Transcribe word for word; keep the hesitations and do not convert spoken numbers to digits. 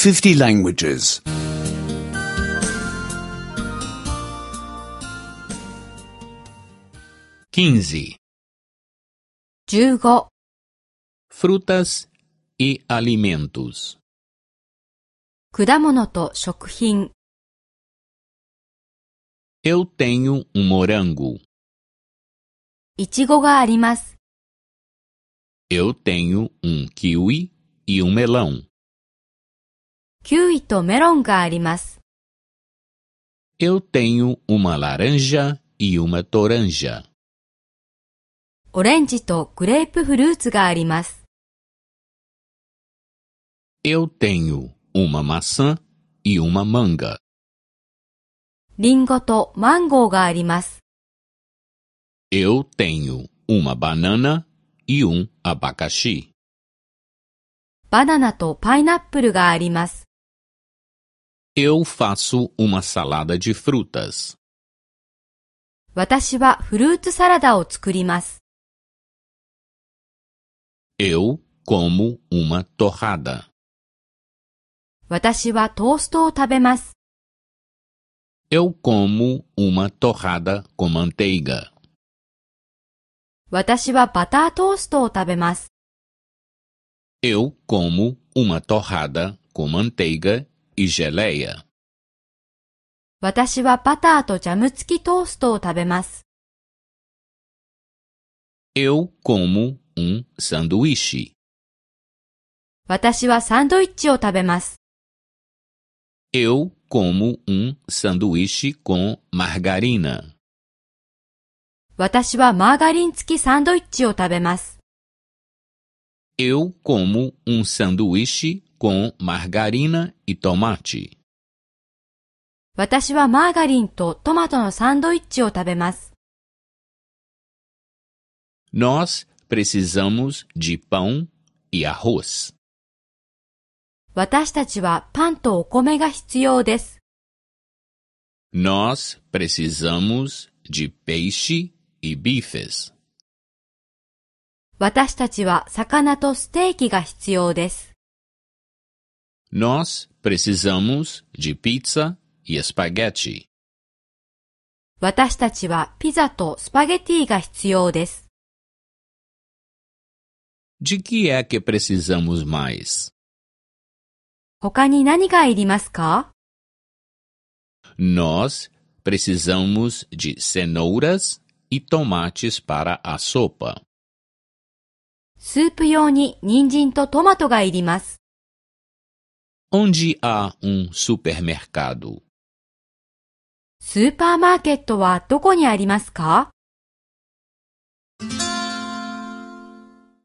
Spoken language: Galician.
fifty languages. quinze. じゅうご、 Frutas e alimentos. 果物と食品。Eu tenho um morango. いちごがあります。Eu tenho um kiwi e um melão. キウイとメロンがあります。Eu tenho uma laranja e uma toranja. オレンジとグレープフルーツがあります。Eu tenho uma maçã e uma manga. リンゴとマンゴーがあります。Eu tenho uma banana e um abacaxi. バナナとパイナップルがあります。Eu faço uma salada de frutas. 私はフルーツサラダを作ります。Eu como uma torrada. 私はトーストを食べます。Eu como uma torrada com manteiga. 私はバタートーストを食べます。Eu como uma torrada com manteiga e geleia. 私はバターとジャム付きトーストを食べます。Eu como um sanduíche. 私はサンドイッチを食べます。Eu como um sanduíche com margarina. 私はマーガリン付きサンドイッチを食べます。Eu como um sanduíche com margarina e tomate. 私はマーガリンとトマトのサンドイッチを食べます。Nós precisamos de pão e arroz. 私たちはパンとお米が必要です。Nós precisamos de peixe e bifes. 私たちは魚とステーキが必要です。Nós precisamos de pizza e espaguete. 私たちはピザとスパゲティが必要です。De que é que precisamos mais? 他に何がいりますか？ Nós precisamos de cenouras e tomates para a sopa. スープ用に人参とトマトがいります。Onde há um supermercado? スーパーマーケットはどこにありますか？